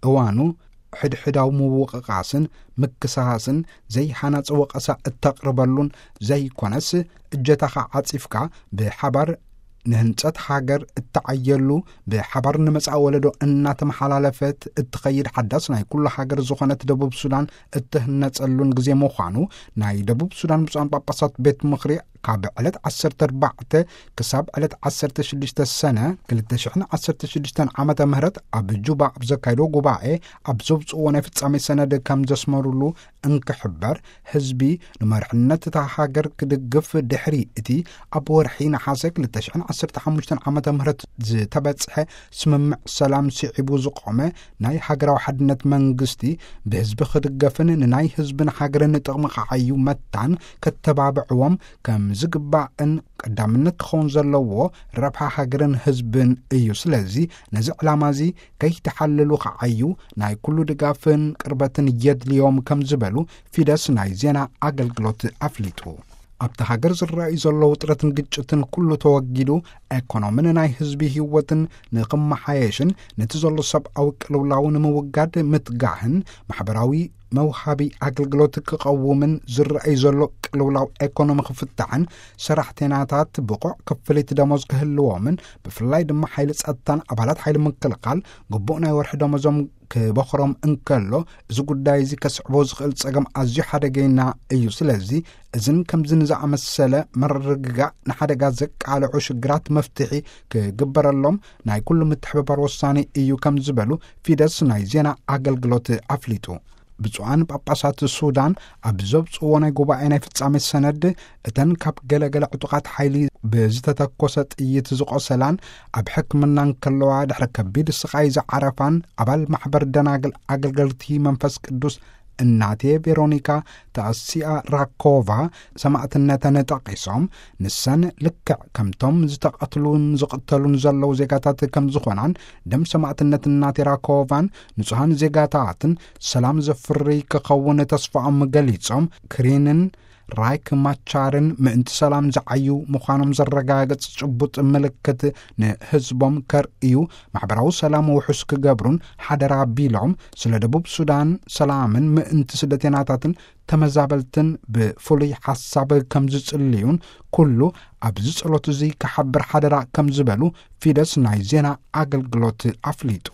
እዋኑ ሕድሕዳዊ ምውቕቓስን ምክሳስን ዘይሓናጽ ወቐሳ እተቕርበሉን ዘይኮነስ፣ እጀታኻ ዓጺፍካ ብሓባር ንህንጸት ሃገር እተዓየሉ፣ ብሓባር ንመጻኢ ወለዶ እናተመሓላለፈት እትኸይድ ሓዳስ ናይ ኩሉ ሃገር ዝኾነት ደቡብ ሱዳን እትህነጸሉን ግዜ ምዃኑ ናይ ደቡብ ሱዳን ብፁዓን ጳጳሳት ቤት ምኽሪ ካብ ዕለት ዓሰርተ ኣርባዕተ ክሳብ ዕለት ዓሰርተ ሽዱሽተ ሰነ ክልተ ሽሕን ዓሰርተ ሽዱሽተን ዓመተ ምህረት ኣብ ጁባ ኣብ ዘካየዶ ጉባኤ ኣብ ዘውፅእዎ ናይ ፍጻሜ ሰነድ ከም ዘስመሩሉ እንክሕበር፣ ህዝቢ ንመርሕነት እታ ሃገር ክድግፍ ድሕሪ እቲ ኣብ ወርሒ ነሓሰ ክልተ ሽሕን ዓሰርተ ሓሙሽተን ዓመተ ምህረት ዝተበጽሐ ስምምዕ ሰላም ስዒቡ ዝቆመ ናይ ሃገራዊ ሓድነት መንግስቲ ብህዝቢ ክድገፍን ንናይ ህዝብን ሃገርን ጥቕሚ ክዓዩ መታን ከተባብዕዎም ከም ዝግባእን ቀዳምነት ክኸውን ዘለዎ ረብሓ ሃገርን ህዝብን እዩ። ስለዚ ነዚ ዕላማ እዚ ከይተሓልሉ ክዓዩ ናይ ኩሉ ድጋፍን ቅርበትን የድልዮም ከም ዝበሉ ፊደስ ናይ ዜና ኣገልግሎት ኣፍሊጡ። ኣብቲ ሃገር ዝረኣዩ ዘለዉ ውጥረትን ግጭትን ኩሉ ተወጊዱ፣ ኤኮኖምን ናይ ህዝቢ ህይወትን ንኽመሓየሽን ነቲ ዘሎ ሰብኣዊ ቅልውላው ንምውጋድ ምትጋህን ማሕበራዊ መውሃቢ ኣገልግሎት ክቐውምን ዝረኣዩ ዘሎ ቅልውላው ኤኮኖሚ ክፍታሕን ሰራሕተኛታት ብቑዕ ክፍሊት ደሞዝ ክህልዎምን ብፍላይ ድማ ሓይሊ ጸጥታን ኣባላት ሓይሊ ምክልኻል ግቡእ ናይ ወርሒ ደሞዞም ክበኽሮም እንከሎ፣ እዚ ጉዳይ እዚ ከስዕቦ ዝኽእል ጸገም ኣዝዩ ሓደገይና እዩ። ስለዚ እዝን ከምዝን ዝኣመሰለ መርግጋእ ንሓደጋ ዘቃልዑ ሽግራት መፍትሒ ክግበረሎም ናይ ኩሉ ምትሕብባር ወሳኒ እዩ ከም ዝበሉ ፊደስ ናይ ዜና ኣገልግሎት ኣፍሊጡ። ብፁዓን ጳጳሳት ሱዳን ኣብ ዘውፅእዎ ናይ ጉባኤ ናይ ፍጻሜ ሰነድ፣ እተን ካብ ገለገለ ዕጡቓት ሓይሊ ብዝተተኮሰ ጥይት ዝቖሰላን ኣብ ሕክምና እንከለዋ ድሕሪ ከቢድ ስቓይ ዝዓረፋን ኣባል ማሕበር ደናግል ኣገልገልቲ መንፈስ ቅዱስ እናቴ ቬሮኒካ ታሲያ ራኮቫ ሰማእትነተን ጠቒሶም፣ ንሰን ልክዕ ከምቶም ዝተቐትሉን ዝቕተሉን ዘለዉ ዜጋታት ከም ዝኾናን፣ ደም ሰማእትነት እናቴ ራኮቫን ንጹሃን ዜጋታትን ሰላም ዘፍሪ ክኸውን ተስፋኦም ገሊጾም፣ ክሪንን ራይክ ማቻርን ምእንቲ ሰላም ዝዓዩ ምዃኖም ዘረጋግጽ ጭቡጥ ምልክት ንህዝቦም ከርእዩ፣ ማሕበራዊ ሰላም ውሑስ ክገብሩን ሓደራ ቢሎም፣ ስለ ደቡብ ሱዳን ሰላምን ምእንቲ ስደተኛታትን ተመዛበልትን ብፍሉይ ሓሳብ ከም ዝጽልዩን፣ ኩሉ ኣብዚ ጸሎት እዚ ክሓብር ሓደራ ከም ዝበሉ ፊደስ ናይ ዜና ኣገልግሎት ኣፍሊጡ።